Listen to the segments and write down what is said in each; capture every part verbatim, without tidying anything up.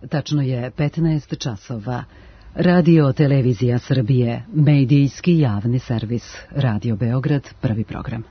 Tačno je petnaest časova. Radio Televizija Srbije, medijski javni servis. Radio Beograd, prvi program.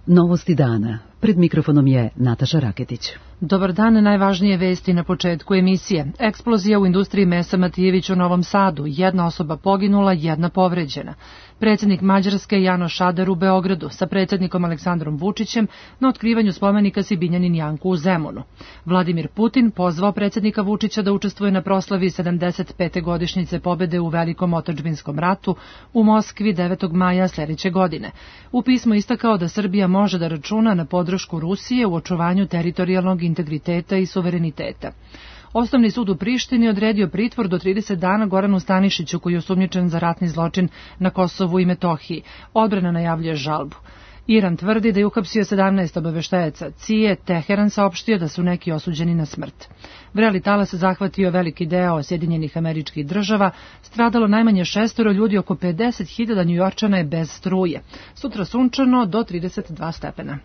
Novosti dana. Pred mikrofonom je Nataša Raketić. Dobar dan, najvažnije vesti na početku emisije. Eksplozija u industriji mesa Matijević u Novom Sadu. Jedna osoba poginula, jedna povređena. Predsjednik Mađarske Janoš Ader u Beogradu sa predsjednikom Aleksandrom Vučićem na otkrivanju spomenika Sibinjanin Janku u Zemunu. Vladimir Putin pozvao predsjednika Vučića da učestvuje na proslavi sedamdeset pete godišnjice pobede u Velikom otadžbinskom ratu u Moskvi devetog maja sljedeće godine. U pismu istakao da Srbija može da računa na podršku Rusije u očuvanju teritorijalnog integriteta i suvereniteta. Osnovni sud u Prištini odredio pritvor do trideset dana Goranu Stanišiću, koji je osumnjičen za ratni zločin na Kosovu i Metohiji. Odbrana najavljuje žalbu. Iran tvrdi da je uhapsio sedamnaest obaveštajaca C I A E, Teheran saopštio da su neki osuđeni na smrt. Vreli talas zahvatio veliki deo Sjedinjenih Američkih Država, stradalo najmanje šestoro ljudi, oko pedeset hiljada Njujorčana je bez struje. Sutra sunčano do trideset dva stepena.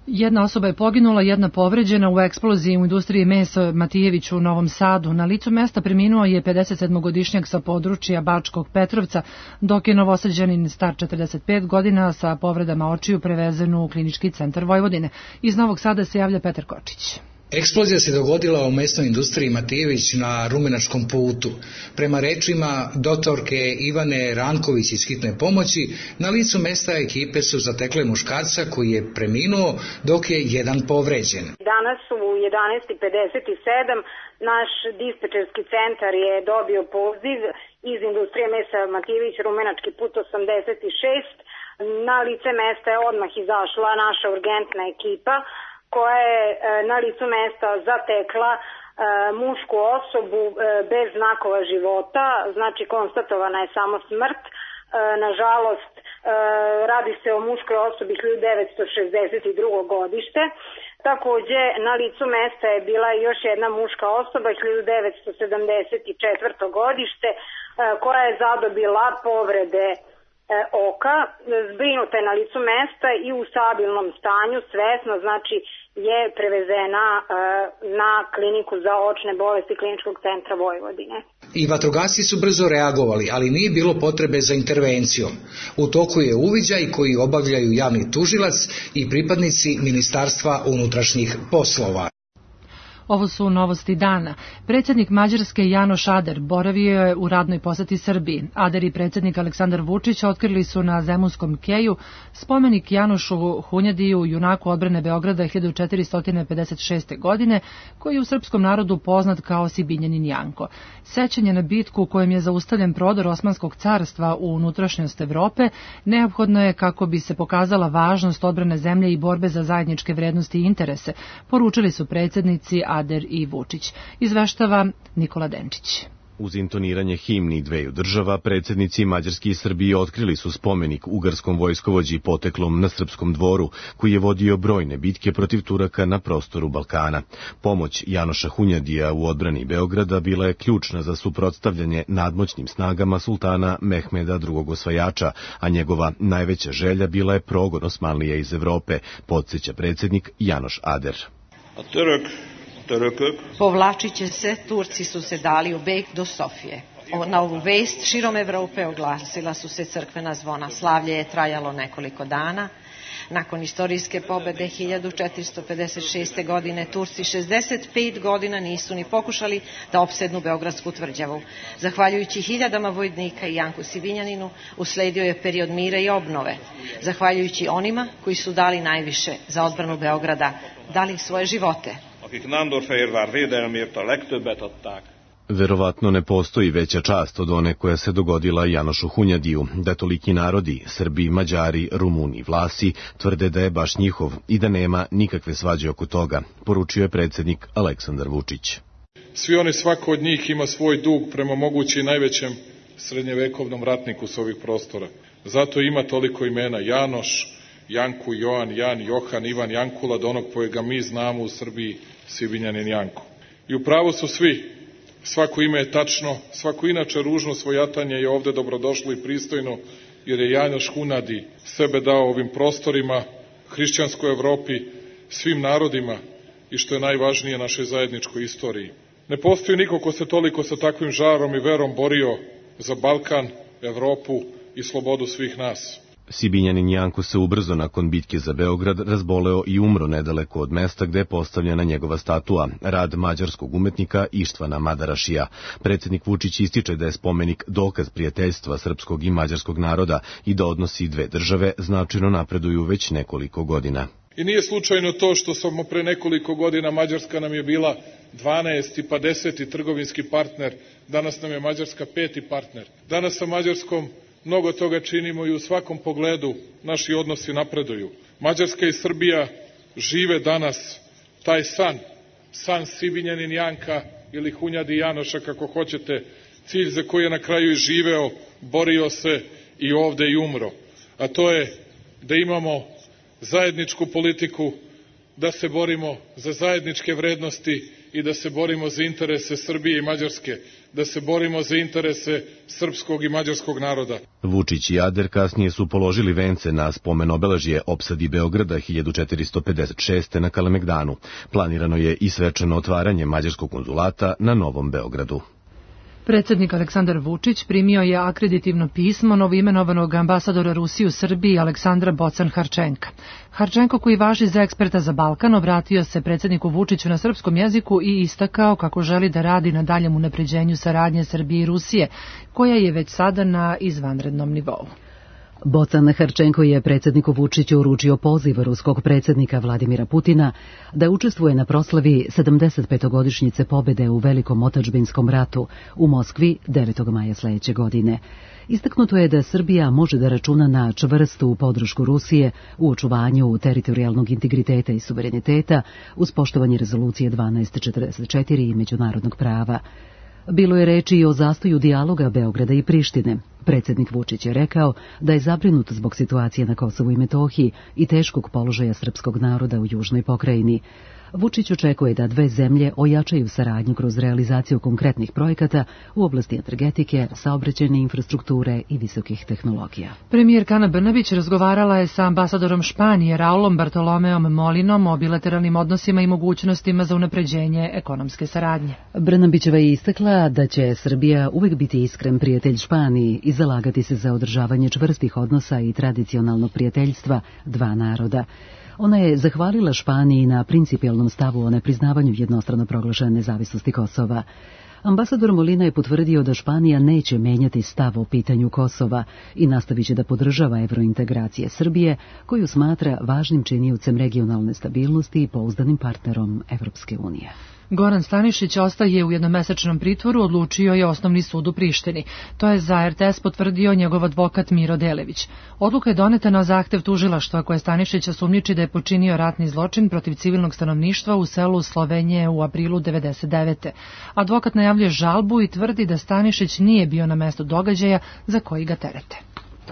Jedna osoba je poginula, jedna povređena u eksploziji u industriji mesa Matijević u Novom Sadu. Na licu mesta preminuo je pedesetsedmogodišnjak sa područja Bačkog Petrovca, dok je novosađanin star četrdeset pet godina sa povredama očiju prevezen u Klinički centar Vojvodine. Iz Novog Sada se javlja Petar Kočić. Eksplozija se dogodila u mesnoj industriji Matijević na Rumenačkom putu. Prema rečima doktorke Ivane Ranković iz hitne pomoći, na licu mesta ekipe su zatekle muškarca koji je preminuo, dok je jedan povređen. Danas u jedanaest i pedeset sedam naš dispečerski centar je dobio poziv iz industrije mesa Matijević, Rumenački put osamdeset šest. Na lice mesta je odmah izašla naša urgentna ekipa, koja je na licu mesta zatekla e, mušku osobu e, bez znakova života, znači konstatovana je samo smrt. E, nažalost, e, radi se o muškoj osobi hiljadu devetsto šezdeset drugo godište. Takođe, na licu mesta je bila još jedna muška osoba hiljadu devetsto sedamdeset četvrto godište, e, koja je zadobila povrede oka, zbrinuta je na licu mesta i u stabilnom stanju, svesno, znači je prevezena e, na kliniku za očne bolesti Kliničkog centra Vojvodine. I vatrogasci su brzo reagovali, ali nije bilo potrebe za intervencijom. U toku je uviđaj koji obavljaju javni tužilac i pripadnici Ministarstva unutrašnjih poslova. Ovo su novosti dana. Predsjednik Mađarske Janoš Ader boravio je u radnoj poseti Srbiji. Ader i predsjednik Aleksandar Vučić otkrili su na Zemunskom keju spomenik Janošu Hunjadiju, junaku odbrane Beograda hiljadu četiristo pedeset šeste. godine, koji je u srpskom narodu poznat kao Sibinjanin Janko. Sećanje na bitku u kojem je zaustavljen prodor Osmanskog carstva u unutrašnjost Evrope neophodno je kako bi se pokazala važnost odbrane zemlje i borbe za zajedničke vrednosti i interese, poručili su predsjednici Ader i Vučić. Izveštava Nikola Denčić. Uz intoniranje himni dveju država, predsjednici Mađarske i Srbije otkrili su spomenik ugarskom vojskovođi poteklom na Srpskom dvoru, koji je vodio brojne bitke protiv Turaka na prostoru Balkana. Pomoć Janoša Hunjadija u odbrani Beograda bila je ključna za suprotstavljanje nadmoćnim snagama sultana Mehmeda drugog osvajača, a njegova najveća želja bila je progon Osmanlija iz Evrope, podsjeća predsjednik Janoš Ader. A Turk Povlačit će se, Turci su se dali u beg do Sofije. Na ovu vest širom Evrope oglasila su se crkvena zvona. Slavlje je trajalo nekoliko dana. Nakon istorijske pobede hiljadu četiristo pedeset šeste. godine Turci šezdeset pet godina nisu ni pokušali da opsednu Beogradsku tvrđavu. Zahvaljujući hiljadama vojnika i Janku Sibinjaninu usledio je period mira i obnove. Zahvaljujući onima koji su dali najviše za odbranu Beograda, dali svoje živote. Verovatno ne postoji veća čast od one koja se dogodila Janošu Hunjadiju, da toliki narodi, Srbi, Mađari, Rumuni i Vlasi, tvrde da je baš njihov i da nema nikakve svađe oko toga, poručio je predsjednik Aleksandar Vučić. Svi oni, svako od njih ima svoj dug prema mogući i najvećem srednjevekovnom ratniku s ovih prostora. Zato ima toliko imena: Janoš, Janku, Joan, Jan, Johan, Ivan, Jankula, do onog kojega mi znamo u Srbiji, Sibinjanin Janko. I upravo su svi Svako ime je tačno, svako inače ružno svojatanje je ovde dobrodošlo i pristojno, jer je Janoš Hunadi sebe dao ovim prostorima, hrišćanskoj Evropi, svim narodima i što je najvažnije našoj zajedničkoj istoriji. Ne postoji niko ko se toliko sa takvim žarom i verom borio za Balkan, Evropu i slobodu svih nas. Sibinjanin Janko se ubrzo nakon bitke za Beograd razboleo i umro nedaleko od mesta gde je postavljena njegova statua, rad mađarskog umetnika Ištvana Madarašija. Predsjednik Vučić ističe da je spomenik dokaz prijateljstva srpskog i mađarskog naroda i da odnosi dve države značajno napreduju već nekoliko godina. I nije slučajno to što smo pre nekoliko godina, Mađarska nam je bila dvanaesti pa deseti trgovinski partner, danas nam je Mađarska peti partner. Danas sa Mađarskom mnogo toga činimo i u svakom pogledu naši odnosi napreduju. Mađarska i Srbija žive danas taj san, san Sibinjanin Janka ili Hunjadi Janoša, kako hoćete, cilj za koji je na kraju i živeo, borio se i ovde i umro. A to je da imamo zajedničku politiku, da se borimo za zajedničke vrednosti i da se borimo za interese Srbije i Mađarske, da se borimo za interese srpskog i mađarskog naroda. Vučić i Ader kasnije su položili vence na spomen obeležje opsadi Beograda hiljadu četiristo pedeset šeste. na Kalemegdanu. Planirano je i svečano otvaranje mađarskog konzulata na Novom Beogradu. Predsjednik Aleksandar Vučić primio je akreditivno pismo novoimenovanog ambasadora Rusije u Srbiji Aleksandra Bocan-Harčenka. Harčenko, koji važi za eksperta za Balkan, obratio se predsjedniku Vučiću na srpskom jeziku i istakao kako želi da radi na daljem unapređenju saradnje Srbije i Rusije, koja je već sada na izvanrednom nivou. Bocan Harčenko je predsjedniku Vučiću uručio poziv ruskog predsjednika Vladimira Putina da učestvuje na proslavi sedamdeset petogodišnjice pobjede u Velikom otadžbinskom ratu u Moskvi devetog maja sledeće godine. Istaknuto je da Srbija može da računa na čvrstu podršku Rusije u očuvanju teritorijalnog integriteta i suvereniteta uz poštovanje rezolucije dvanaest četrdeset četiri i međunarodnog prava. Bilo je reči i o zastoju dijaloga Beograda i Prištine. Predsjednik Vučić je rekao da je zabrinut zbog situacije na Kosovu i Metohiji i teškog položaja srpskog naroda u južnoj pokrajini. Vučić očekuje da dve zemlje ojačaju saradnju kroz realizaciju konkretnih projekata u oblasti energetike, saobraćajne infrastrukture i visokih tehnologija. Premijerka Ana Brnabić razgovarala je sa ambasadorom Španije Raulom Bartolomeom Molinom o bilateralnim odnosima i mogućnostima za unapređenje ekonomske saradnje. Brnabićeva je istakla da će Srbija uvek biti iskren prijatelj Španiji i zalagati se za održavanje čvrstih odnosa i tradicionalnog prijateljstva dva naroda. Ona je zahvalila Španiji na principijelnom stavu o nepriznavanju jednostrano proglašene nezavisnosti Kosova. Ambasador Molina je potvrdio da Španija neće menjati stav o pitanju Kosova i nastavit će da podržava evrointegracije Srbije, koju smatra važnim činiocem regionalne stabilnosti i pouzdanim partnerom Evropske unije. Goran Stanišić ostaje u jednomesečnom pritvoru, odlučio je Osnovni sud u Prištini. To je za er te es potvrdio njegov advokat Miro Delević. Odluka je doneta na zahtev tužilaštva koje Stanišića sumnjiči da je počinio ratni zločin protiv civilnog stanovništva u selu Slovenije u aprilu devedeset devete. Advokat najavljuje žalbu i tvrdi da Stanišić nije bio na mestu događaja za koji ga terete.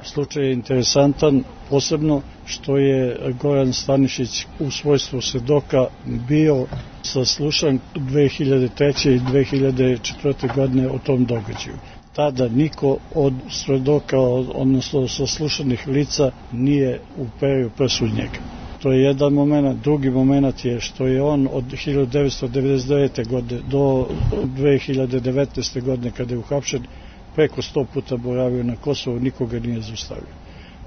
Slučaj je interesantan, posebno što je Goran Stanišić u svojstvu svedoka bio saslušan dve hiljade treće i dve hiljade četvrte. godine o tom događaju. Tada niko od svedoka, odnosno saslušanih lica, nije uperio prst u njega. To je jedan moment. Drugi moment je što je on od hiljadu devetsto devedeset devete. godine do dve hiljade devetnaeste. godine, kada je uhapšen, preko sto puta boravio na Kosovu, nikoga nije zaustavio.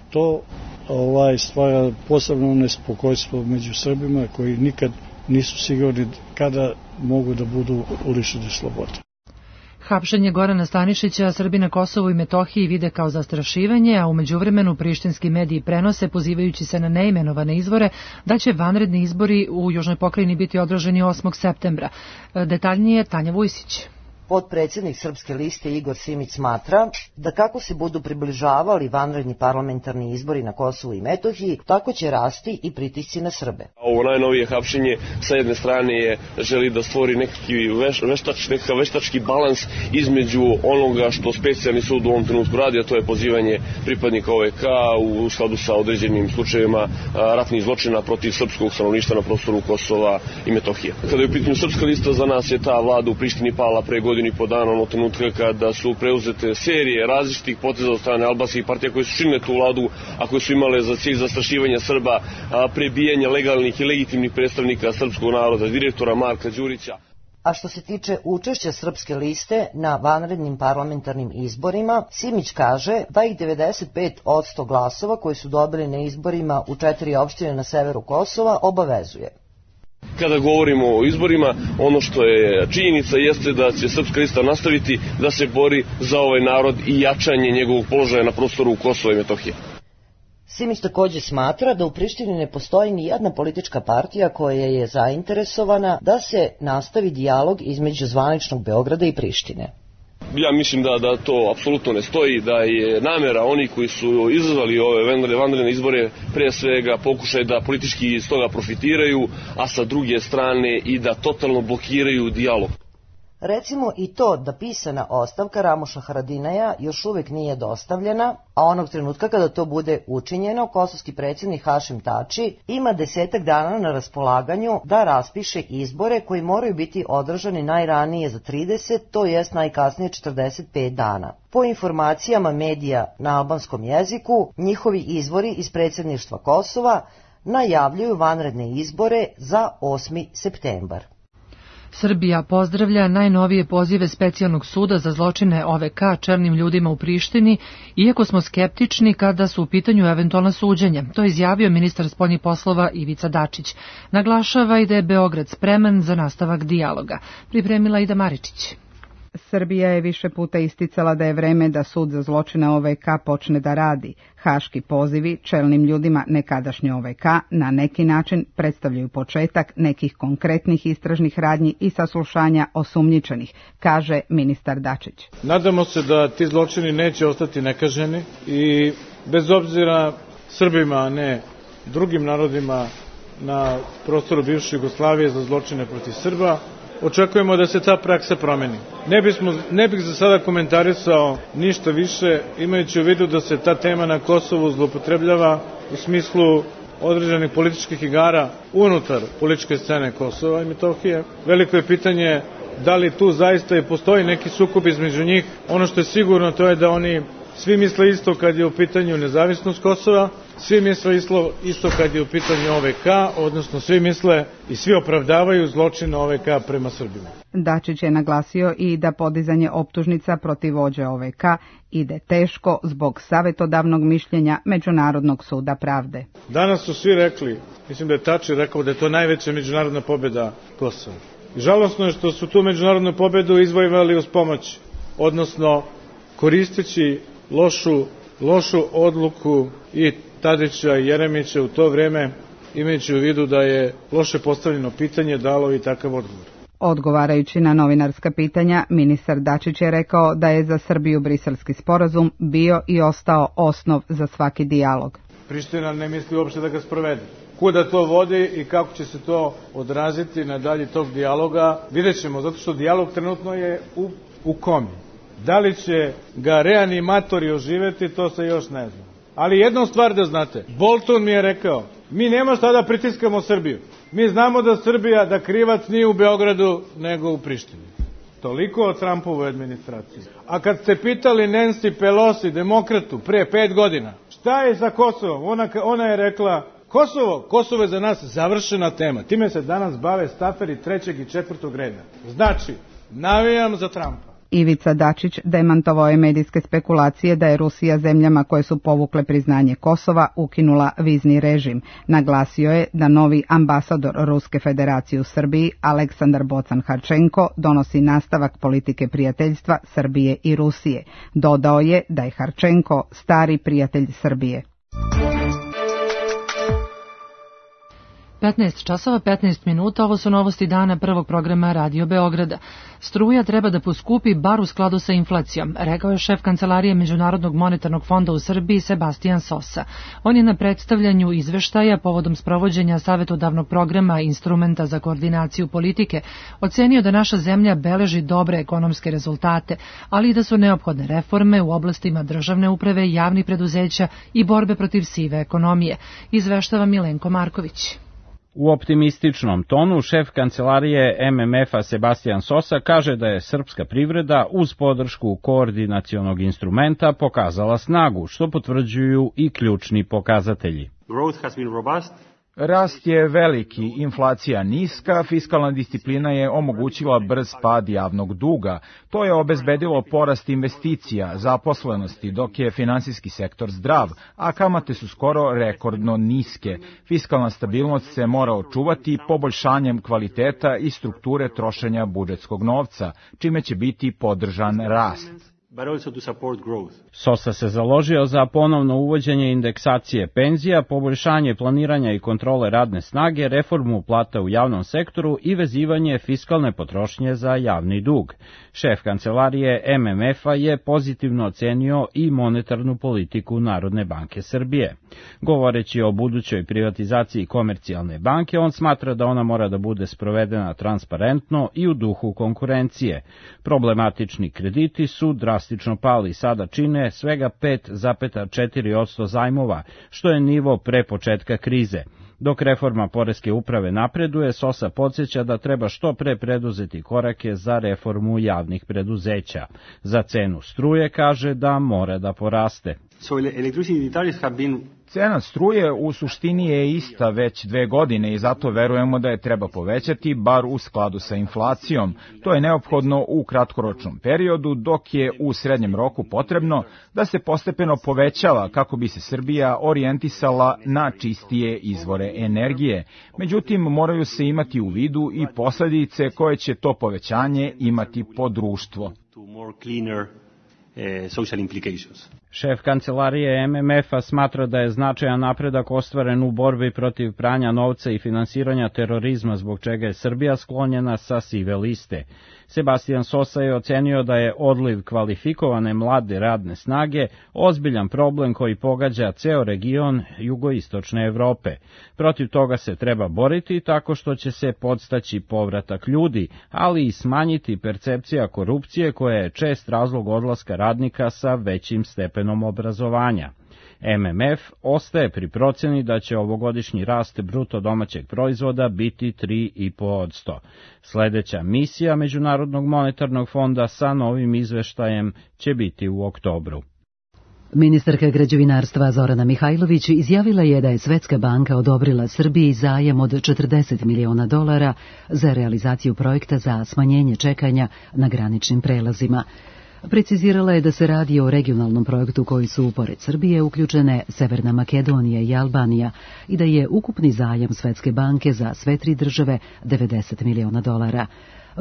To ovaj, stvara posebno nespokojstvo među Srbima koji nikad nisu sigurni kada mogu da budu lišeni slobode. Hapšenje Gorana Stanišića Srbi na Kosovu i Metohiji vide kao zastrašivanje, a u međuvremenu prištinski mediji prenose, pozivajući se na neimenovane izvore, da će vanredni izbori u Južnoj pokrajini biti održani osmog septembra. Detaljnije Tanja Vujsić. Potpredsjednik Srpske liste Igor Simić smatra da kako se budu približavali vanredni parlamentarni izbori na Kosovu i Metohiji, tako će rasti i pritisci na Srbe. Ovo najnovije hapšenje sa jedne strane je želi da stvori neki veš, veštač, nekakav veštački balans između onoga što specijalni sud u ovom trenutku radi, a to je pozivanje pripadnika o ve ka u skladu sa određenim slučajevima ratnih zločina protiv srpskog stanovništva na prostoru Kosova i Metohije. Kada je u pitanju Srpska lista, za nas je ta vlada u Prištini pala pre godinu godinu i po dana, ono trenutka kada su preuzete serije različitih poteza od strane albanskih partija koje su činile tu vladu, a koje su imale za cilj zastrašivanja Srba, prebijanje legalnih i legitimnih predstavnika srpskog naroda, direktora Marka Đurića. A što se tiče učešća Srpske liste na vanrednim parlamentarnim izborima, Simić kaže da ih devedeset pet posto glasova koji su dobili na izborima u četiri opštine na severu Kosova obavezuje. Kada govorimo o izborima, ono što je činjenica jeste da će Srpska lista nastaviti da se bori za ovaj narod i jačanje njegovog položaja na prostoru Kosova i Metohije. Simić takođe smatra da u Prištini ne postoji ni jedna politička partija koja je zainteresovana da se nastavi dijalog između zvaničnog Beograda i Prištine. Ja mislim da, da to apsolutno ne stoji, da je namera onih koji su izazvali ove vanredne izbore pre svega pokušaj da politički iz toga profitiraju, a sa druge strane i da totalno blokiraju dijalog. Recimo i to da pisana ostavka Ramuša Haradinaja još uvek nije dostavljena, a onog trenutka kada to bude učinjeno, kosovski predsjednik Hašim Tači ima desetak dana na raspolaganju da raspiše izbore koji moraju biti održani najranije za trideset, to jest najkasnije četrdeset pet dana. Po informacijama medija na albanskom jeziku, njihovi izvori iz predsjedništva Kosova najavljuju vanredne izbore za osmi septembar. Srbija pozdravlja najnovije pozive Specijalnog suda za zločine O V K čelnim ljudima u Prištini, iako smo skeptični kada su u pitanju eventualna suđenja. To je izjavio ministar spoljnih poslova Ivica Dačić. Naglašava i da je Beograd spreman za nastavak dijaloga. Pripremila Ida Maričić. Srbija je više puta isticala da je vreme da sud za zločine O V K počne da radi. Haški pozivi čelnim ljudima nekadašnje O V K na neki način predstavljaju početak nekih konkretnih istražnih radnji i saslušanja osumnjičenih, kaže ministar Dačić. Nadamo se da ti zločini neće ostati nekaženi i bez obzira Srbima, a ne drugim narodima na prostoru bivše Jugoslavije za zločine protiv Srba, očekujemo da se ta praksa promeni. Ne, bismo, ne bih za sada komentarisao ništa više, imajući u vidu da se ta tema na Kosovu zloupotrebljava u smislu određenih političkih igara unutar političke scene Kosova i Metohije. Veliko je pitanje da li tu zaista i postoji neki sukob između njih. Ono što je sigurno to je da oni svi misle isto kad je u pitanju nezavisnost Kosova, svi misle isto kad je u pitanju O V K, odnosno svi misle i svi opravdavaju zločin O V K prema Srbima. Dačić je naglasio i da podizanje optužnica protiv vođe O V K ide teško zbog savetodavnog mišljenja Međunarodnog suda pravde. Danas su svi rekli, mislim da je Tači rekao da je to najveća međunarodna pobjeda Kosova. I žalosno je što su tu međunarodnu pobjedu izvojevali uz pomoć, odnosno koristeći lošu, lošu odluku i Tadića i Jeremića u to vreme, imajući u vidu da je loše postavljeno pitanje dalo i takav odgovor. Odgovarajući na novinarska pitanja, ministar Dačić je rekao da je za Srbiju Briselski sporazum bio i ostao osnov za svaki dijalog. Priština ne misli uopšte da ga sprovede. Kuda to vodi i kako će se to odraziti na dalje tog dijaloga, vidjet ćemo, zato što dijalog trenutno je u, u komi. Da li će ga reanimatori oživeti, to se još ne zna. Ali jednu stvar da znate, Bolton mi je rekao, mi nema šta da pritiskamo Srbiju. Mi znamo da Srbija, da krivac nije u Beogradu, nego u Prištini. Toliko o Trumpovoj administraciji. A kad ste pitali Nancy Pelosi, demokratu, pre pet godina, šta je sa Kosovom? Ona, ona je rekla, Kosovo, Kosovo je za nas završena tema. Time se danas bave staferi trećeg i četvrtog reda. Znači, navijam za Trumpa. Ivica Dačić demantovao je medijske spekulacije da je Rusija zemljama koje su povukle priznanje Kosova ukinula vizni režim. Naglasio je da novi ambasador Ruske federacije u Srbiji, Aleksandar Bocan-Harčenko, donosi nastavak politike prijateljstva Srbije i Rusije. Dodao je da je Harčenko stari prijatelj Srbije. petnaest časova petnaest minuta, ovo su novosti dana prvog programa Radio Beograda. Struja treba da poskupi bar u skladu sa inflacijom, rekao je šef Kancelarije Međunarodnog monetarnog fonda u Srbiji Sebastian Sosa. On je na predstavljanju izveštaja povodom sprovođenja savetodavnog programa Instrumenta za koordinaciju politike ocenio da naša zemlja beleži dobre ekonomske rezultate, ali i da su neophodne reforme u oblastima državne uprave, javnih preduzeća i borbe protiv sive ekonomije, izveštava Milenko Marković. U optimističnom tonu šef kancelarije M M F-a Sebastian Sosa kaže da je srpska privreda uz podršku koordinacionog instrumenta pokazala snagu, što potvrđuju i ključni pokazatelji. Growth has been robust. Rast je veliki, inflacija niska, fiskalna disciplina je omogućila brz pad javnog duga. To je obezbedilo porast investicija, zaposlenosti, dok je finansijski sektor zdrav, a kamate su skoro rekordno niske. Fiskalna stabilnost se mora očuvati poboljšanjem kvaliteta i strukture trošenja budžetskog novca, čime će biti podržan rast. But also to support growth. Sosa se založio za ponovno uvođenje indeksacije penzija, poboljšanje planiranja i kontrole radne snage, reformu plata u javnom sektoru i vezivanje fiskalne potrošnje za javni dug. Šef kancelarije M M F-a je pozitivno ocenio i monetarnu politiku Narodne banke Srbije. Govoreći o budućoj privatizaciji Komercijalne banke, on smatra da ona mora da bude sprovedena transparentno i u duhu konkurencije. Problematični krediti su drastično pali i sada čine svega pet zarez četiri posto zajmova, što je nivo pre početka krize. Dok reforma poreske uprave napreduje, Sosa podsjeća da treba što pre preduzeti korake za reformu javnih preduzeća. Za cenu struje kaže da mora da poraste. So electricity tariffs have been Cena struje u suštini je ista već dve godine i zato verujemo da je treba povećati, bar u skladu sa inflacijom. To je neophodno u kratkoročnom periodu, dok je u srednjem roku potrebno da se postepeno povećava kako bi se Srbija orijentisala na čistije izvore energije. Međutim, moraju se imati u vidu i posledice koje će to povećanje imati po društvo. Social implications. Šef kancelarije M M F-a smatra da je značajan napredak ostvaren u borbi protiv pranja novca i finansiranja terorizma, zbog čega je Srbija sklonjena sa sive liste. Sebastian Sosa je ocenio da je odliv kvalifikovane mlade radne snage ozbiljan problem koji pogađa ceo region jugoistočne Evrope. Protiv toga se treba boriti tako što će se podstaći povratak ljudi, ali i smanjiti percepcija korupcije koja je čest razlog odlaska radnika sa većim stepenom obrazovanja. M M F ostaje pri proceni da će ovogodišnji rast bruto domaćeg proizvoda biti tri zarez pet posto. Sledeća misija Međunarodnog monetarnog fonda sa novim izveštajem će biti u oktobru. Ministarka građevinarstva Zorana Mihajlović izjavila je da je Svetska banka odobrila Srbiji zajam od četrdeset miliona dolara za realizaciju projekta za smanjenje čekanja na graničnim prelazima. Precizirala je da se radi o regionalnom projektu koji su, pored Srbije, uključene Severna Makedonija i Albanija i da je ukupni zajam Svetske banke za sve tri države devedeset miliona dolara.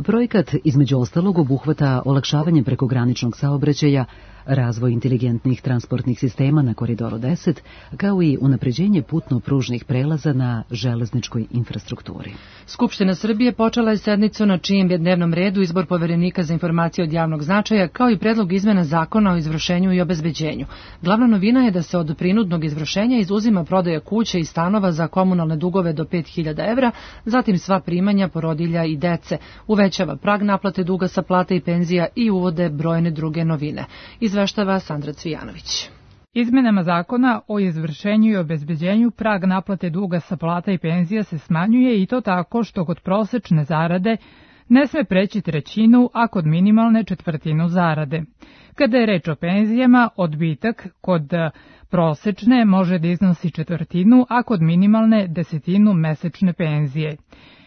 Projekat, između ostalog, obuhvata olakšavanje prekograničnog saobraćaja, razvoj inteligentnih transportnih sistema na Koridoru deset, kao i unapređenje putno-pružnih prelaza na železničkoj infrastrukturi. Skupština Srbije počela je sednicu na čijem je dnevnom redu izbor poverenika za informacije od javnog značaja, kao i predlog izmena zakona o izvršenju i obezbeđenju. Glavna novina je da se od prinudnog izvršenja izuzima prodaja kuće i stanova za komunalne dugove do pet hiljada evra, zatim sva primanja porodilja i dece, uvećava prag naplate duga sa plate i penzija i uvode brojne druge novine. Izveštava Sandra Cvijanović. Izmenama zakona o izvršenju i obezbeđenju prag naplate duga sa plata i penzija se smanjuje i to tako što kod prosečne zarade ne sme preći trećinu, a kod minimalne četvrtinu zarade. Kada je reč o penzijama, odbitak kod prosečne može da iznosi četvrtinu, a kod minimalne desetinu mesečne penzije.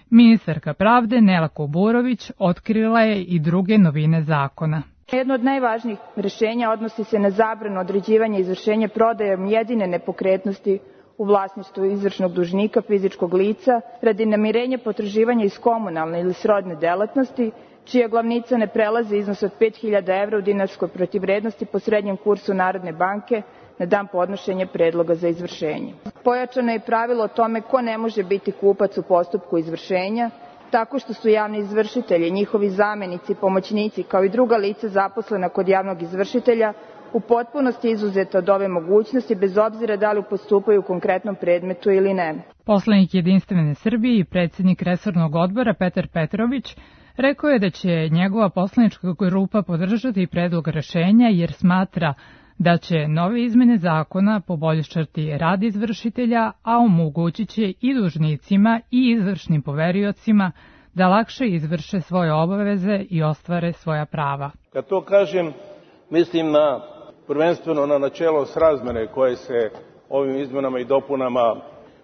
Ministarka pravde Nela Kuburović otkrila je i druge novine zakona. Jedno od najvažnijih rešenja odnosi se na zabranu određivanja i izvršenja prodajom jedine nepokretnosti u vlasništvu izvršnog dužnika fizičkog lica radi namirenja potraživanja iz komunalne ili srodne delatnosti, čija glavnica ne prelazi iznos od pet hiljada evra u dinarskoj protivvrednosti po srednjem kursu Narodne banke na dan podnošenja predloga za izvršenje. Pojačano je pravilo o tome ko ne može biti kupac u postupku izvršenja, tako što su javni izvršitelji, njihovi zamenici, pomoćnici, kao i druga lica zaposlena kod javnog izvršitelja, u potpunosti izuzeta od ove mogućnosti, bez obzira da li postupaju u konkretnom predmetu ili ne. Poslanik Jedinstvene Srbije i predsjednik resornog odbora Petar Petrović rekao je da će njegova poslanička grupa podržati predlog rešenja jer smatra da će nove izmene zakona poboljšati rad izvršitelja, a omogućit će i dužnicima i izvršnim poveriocima da lakše izvrše svoje obaveze i ostvare svoja prava. Kad to kažem, mislim na prvenstveno na načelo srazmere koje se ovim izmenama i dopunama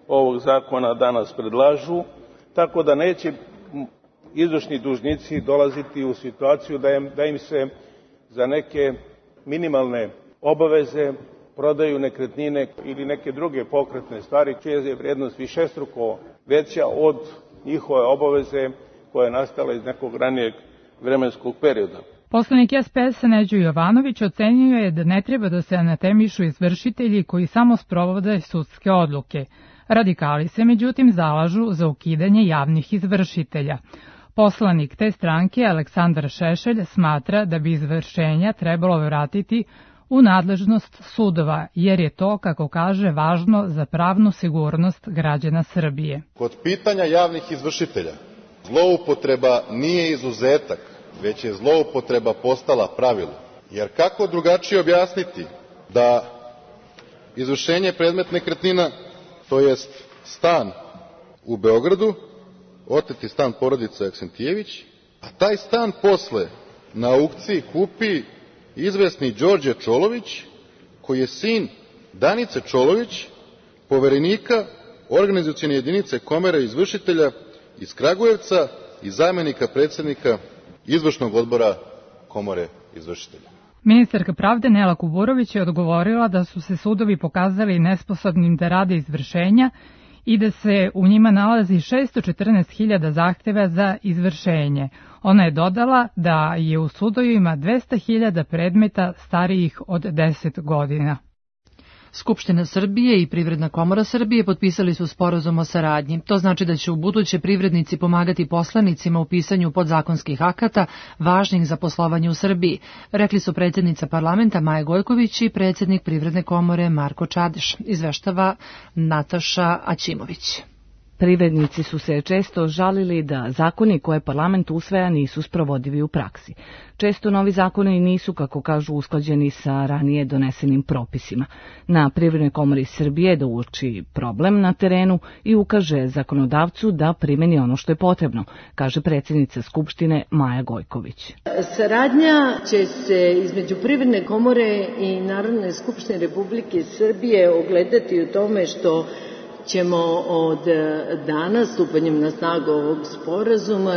ovog zakona danas predlažu, tako da neće izvršni dužnici dolaziti u situaciju da im, da im se za neke minimalne obaveze prodaju nekretnine ili neke druge pokretne stvari čija je vrijednost višestruko veća od njihove obaveze koja je nastala iz nekog ranijeg vremenskog perioda. Poslanik S P S-a Neđo Jovanović ocenio je da ne treba da se anatemišu izvršitelji koji samo sprovode sudske odluke. Radikali se međutim zalažu za ukidanje javnih izvršitelja. Poslanik te stranke Aleksandar Šešelj smatra da bi izvršenja trebalo vratiti u nadležnost sudova, jer je to, kako kaže, važno za pravnu sigurnost građana Srbije. Kod pitanja javnih izvršitelja, zloupotreba nije izuzetak, već je zloupotreba postala pravilo. Jer kako drugačije objasniti da izvršenje predmet nekretnina, to jest stan u Beogradu, oteti stan porodice Aksentijević, a taj stan posle na aukciji kupi izvesni Đorđe Čolović, koji je sin Danice Čolović, poverenika organizacione jedinice Komore izvršitelja iz Kragujevca i zamenika predsednika izvršnog odbora Komore izvršitelja. Ministarka pravde Nela Kuburović je odgovorila da su se sudovi pokazali nesposobnim da rade izvršenja i da se u njima nalazi šesto četrnaest hiljada zahteva za izvršenje. Ona je dodala da je u sudovima dvesta hiljada predmeta starijih od deset godina. Skupština Srbije i Privredna komora Srbije potpisali su sporazum o saradnji. To znači da će u buduće privrednici pomagati poslanicima u pisanju podzakonskih akata važnih za poslovanje u Srbiji, rekli su predsjednica parlamenta Maja Gojković i predsjednik Privredne komore Marko Čadeš, izveštava Nataša Aćimović. Privrednici su se često žalili da zakoni koje parlament usvaja nisu sprovodivi u praksi. Često novi zakoni nisu, kako kažu, usklađeni sa ranije donesenim propisima. Na Privrednoj komori Srbije da uoči problem na terenu i ukaže zakonodavcu da primeni ono što je potrebno, kaže predsjednica Skupštine Maja Gojković. Saradnja će se između Privredne komore i Narodne skupštine Republike Srbije ogledati u tome što ćemo od dana stupanjem na snagu ovog sporazuma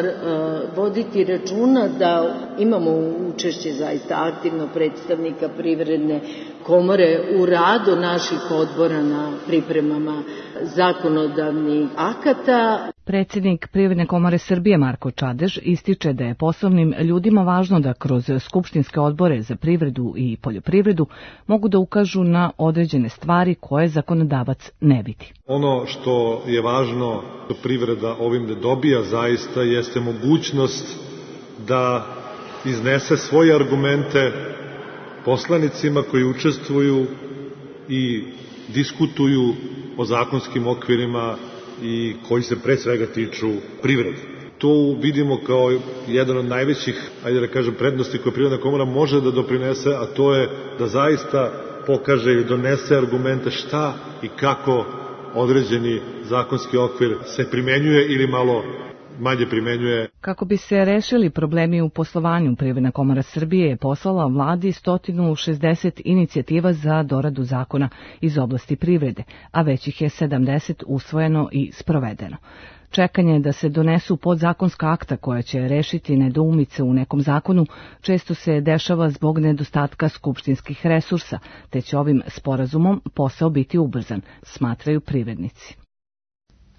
voditi računa da imamo učešće zaista aktivno predstavnika Privredne komore u radu naših odbora na pripremama zakonodavnih akata. Predsjednik Privredne komore Srbije Marko Čadež ističe da je poslovnim ljudima važno da kroz skupštinske odbore za privredu i poljoprivredu mogu da ukažu na određene stvari koje zakonodavac ne vidi. Ono što je važno što privreda ovim da dobija zaista jeste mogućnost da iznese svoje argumente poslanicima koji učestvuju i diskutuju o zakonskim okvirima i koji se pre svega tiču privrede. To vidimo kao jedan od najvećih, ajde da kažem, prednosti koje Privredna komora može da doprinese, a to je da zaista pokaže i donese argumente šta i kako određeni zakonski okvir se primenjuje ili malo manje primenjuje. Kako bi se rešili problemi u poslovanju, Privredna komora Srbije je poslala vladi sto šezdeset inicijativa za doradu zakona iz oblasti privrede, a već ih je sedamdeset usvojeno i sprovedeno. Čekanje da se donesu podzakonska akta koja će rešiti nedoumice u nekom zakonu često se dešava zbog nedostatka skupštinskih resursa, te će ovim sporazumom posao biti ubrzan, smatraju privrednici.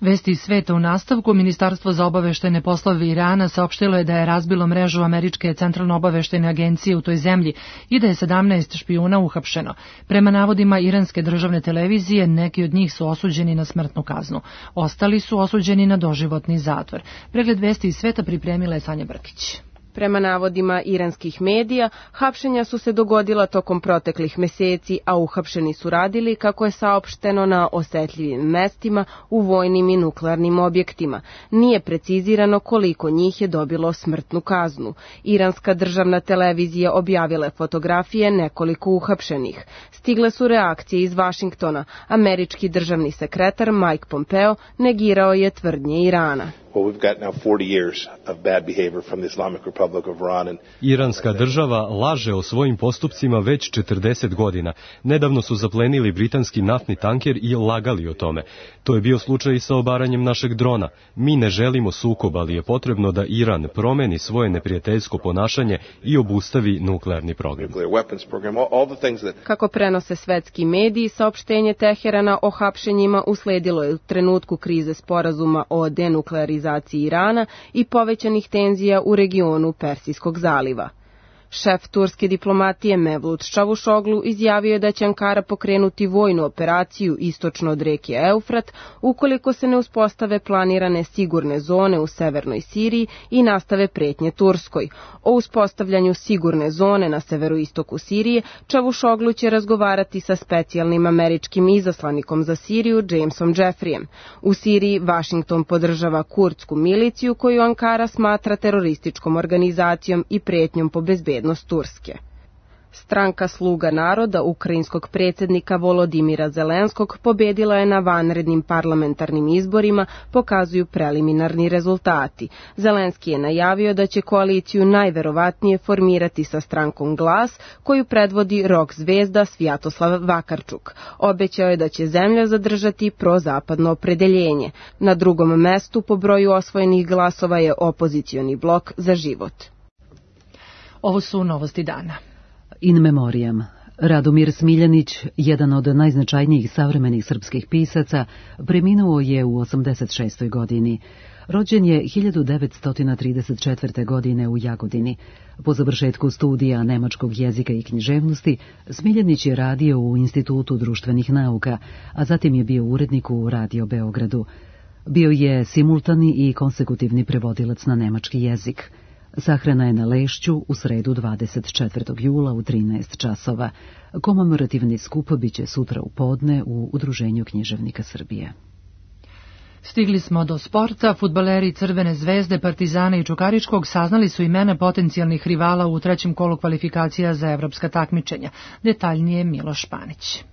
Vesti iz sveta u nastavku. Ministarstvo za obaveštajne poslove Irana saopštilo je da je razbilo mrežu Američke centralno-obaveštajne agencije u toj zemlji i da je sedamnaest špijuna uhapšeno. Prema navodima iranske državne televizije, neki od njih su osuđeni na smrtnu kaznu. Ostali su osuđeni na doživotni zatvor. Pregled vesti iz sveta pripremila je Sanja Brkić. Prema navodima iranskih medija, hapšenja su se dogodila tokom proteklih meseci, a uhapšeni su radili, kako je saopšteno, na osetljivim mestima u vojnim i nuklearnim objektima. Nije precizirano koliko njih je dobilo smrtnu kaznu. Iranska državna televizija objavila je fotografije nekoliko uhapšenih. Stigle su reakcije iz Vašingtona. Američki državni sekretar Mike Pompeo negirao je tvrdnje Irana. Iranska država laže o svojim postupcima već četrdeset godina. Nedavno su zaplenili britanski naftni tanker i lagali o tome. To je bio slučaj i sa obaranjem našeg drona. Mi ne želimo sukob, ali je potrebno da Iran promeni svoje neprijateljsko ponašanje i obustavi nuklearni program. Kako prenose svetski mediji, saopštenje Teherana o hapšenjima usledilo je u trenutku krize sporazuma o denuklearizaciji Irana i povećanih tenzija u regionu Persijskog zaliva. Šef turske diplomatije Mevlut Čavuşoglu izjavio je da će Ankara pokrenuti vojnu operaciju istočno od reke Eufrat ukoliko se ne uspostave planirane sigurne zone u severnoj Siriji i nastave pretnje Turskoj. O uspostavljanju sigurne zone na severoistoku Sirije Čavuşoglu će razgovarati sa specijalnim američkim izaslanikom za Siriju Jamesom Jeffreyem. U Siriji Vašington podržava kurdsku miliciju koju Ankara smatra terorističkom organizacijom i pretnjom po bezbednosti Turske. Stranka Sluga naroda ukrajinskog predsjednika Volodimira Zelenskog pobedila je na vanrednim parlamentarnim izborima, pokazuju preliminarni rezultati. Zelenski je najavio da će koaliciju najverovatnije formirati sa strankom Glas, koju predvodi rock zvezda Svjatoslav Vakarčuk. Obećao je da će zemlja zadržati prozapadno opredeljenje. Na drugom mestu po broju osvojenih glasova je opozicioni blok Za život. Ovo su novosti dana. In memoriam. Radomir Smiljanić, jedan od najznačajnijih savremenih srpskih pisaca, preminuo je u osamdeset šestoj godini. Rođen je hiljadu devetsto trideset četvrte. godine u Jagodini. Po završetku studija nemačkog jezika i književnosti, Smiljanić je radio u Institutu društvenih nauka, a zatim je bio urednik u Radio Beogradu. Bio je simultani i konsekutivni prevodilac na nemački jezik. Sahrana je na Lešću u sredu dvadeset četvrtog jula u trinaest časova. Komemorativni skup biće sutra u podne u Udruženju književnika Srbije. Stigli smo do sporta. Fudbaleri Crvene zvezde, Partizana i Čukaričkog saznali su imena potencijalnih rivala u trećem kolu kvalifikacija za evropska takmičenja. Detaljnije Miloš Panić.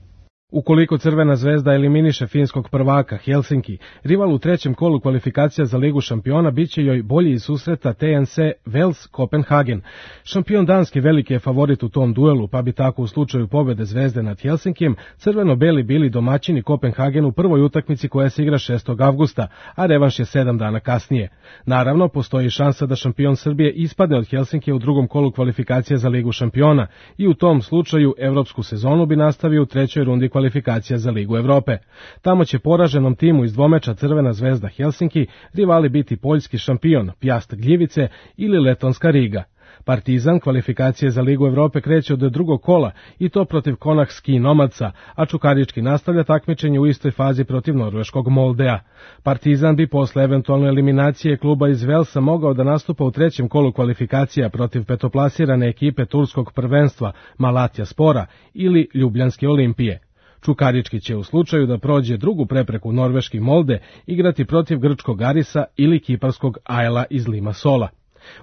Ukoliko Crvena zvezda eliminiše finskog prvaka Helsinki, rival u trećem kolu kvalifikacija za Ligu šampiona biće joj bolji iz susreta T N C Vels Kopenhagen. Šampion Danske veliki je favorit u tom duelu, pa bi tako u slučaju pobede Zvezde nad Helsinkijem crveno-beli bili domaćini Kopenhagen u prvoj utakmici koja se igra šestog avgusta, a revanš je sedam dana kasnije. Naravno, postoji šansa da šampion Srbije ispadne od Helsinkija u drugom kolu kvalifikacija za Ligu šampiona i u tom slučaju evropsku sezonu bi nastavio u trećoj rundi kvalifikacija kvalifikacija za Ligu Evrope. Tamo će poraženom timu iz dvomeča Crvena zvezda Helsinki rivali biti poljski šampion Pjast Gljivice ili letonska Riga. Partizan kvalifikacije za Ligu Evrope kreće od drugog kola i to protiv Konah Ski Nomadsa, a Čukarički nastavlja takmičenje u istoj fazi protiv norveškog Moldea. Partizan bi posle eventualne eliminacije kluba iz Velsa mogao da nastupa u trećem kolu kvalifikacija protiv petoplasirane ekipe turskog prvenstva Malatya Spora ili Ljubljanske Olimpije. Čukarički će u slučaju da prođe drugu prepreku norveški Molde igrati protiv grčkog Arisa ili kiparskog Ajla iz Limassola.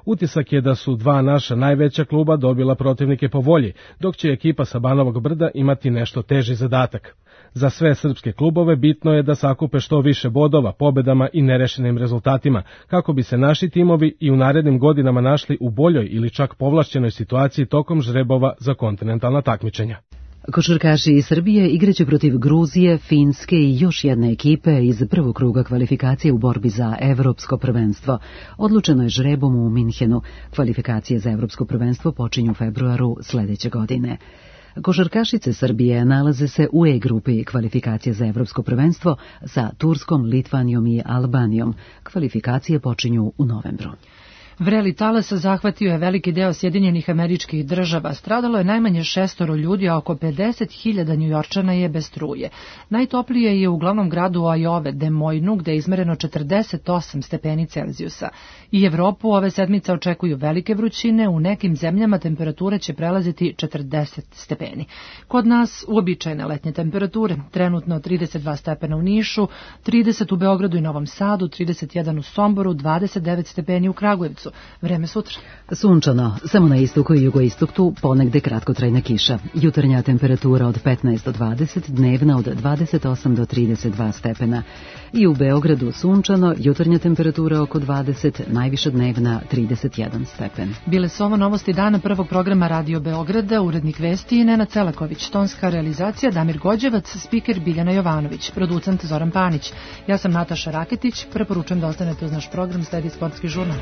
Utisak je da su dva naša najveća kluba dobila protivnike po volji, dok će ekipa sa Banovog Brda imati nešto teži zadatak. Za sve srpske klubove bitno je da sakupe što više bodova, pobedama i nerešenim rezultatima, kako bi se naši timovi i u narednim godinama našli u boljoj ili čak povlašćenoj situaciji tokom žrebova za kontinentalna takmičenja. Košarkaši iz Srbije igraće protiv Gruzije, Finske i još jedne ekipe iz prvog kruga kvalifikacije u borbi za evropsko prvenstvo. Odlučeno je žrebom u Minhenu. Kvalifikacije za evropsko prvenstvo počinju u februaru sledeće godine. Košarkašice Srbije nalaze se u E grupi kvalifikacije za evropsko prvenstvo sa Turskom, Litvanijom i Albanijom. Kvalifikacije počinju u novembru. Vreli talas zahvatio je veliki deo Sjedinjenih Američkih Država. Stradalo je najmanje šestoro ljudi, a oko pedeset hiljada Njujorčana je bez struje. Najtoplije je u glavnom gradu Ajove, Des Moinesu, gde je izmereno četrdeset osam stepeni Celzijusa. I Evropu ove sedmice očekuju velike vrućine, u nekim zemljama temperature će prelaziti četrdeset stepeni. Kod nas uobičajene letnje temperature, trenutno trideset dva stepena u Nišu, trideset u Beogradu i Novom Sadu, trideset jedan u Somboru, dvadeset devet stepeni u Kragujevcu. Vreme sutra. Sunčano, samo na istoku i jugoistoku ponegde kratkotrajna kiša. Jutarnja temperatura od petnaest do dvadeset, dnevna od dvadeset osam do trideset dva stepena. I u Beogradu sunčano, jutarnja temperatura oko dvadeset, najviša dnevna trideset jedan stepen. Bile su ovo novosti dana prvog programa Radio Beograda, urednik vesti Nenad Celaković, tonska realizacija Damir Gođevac, spiker Biljana Jovanović, producent Zoran Panić. Ja sam Nataša Raketić, preporučujem da ostanete uz naš program, sledi sportski žurnal.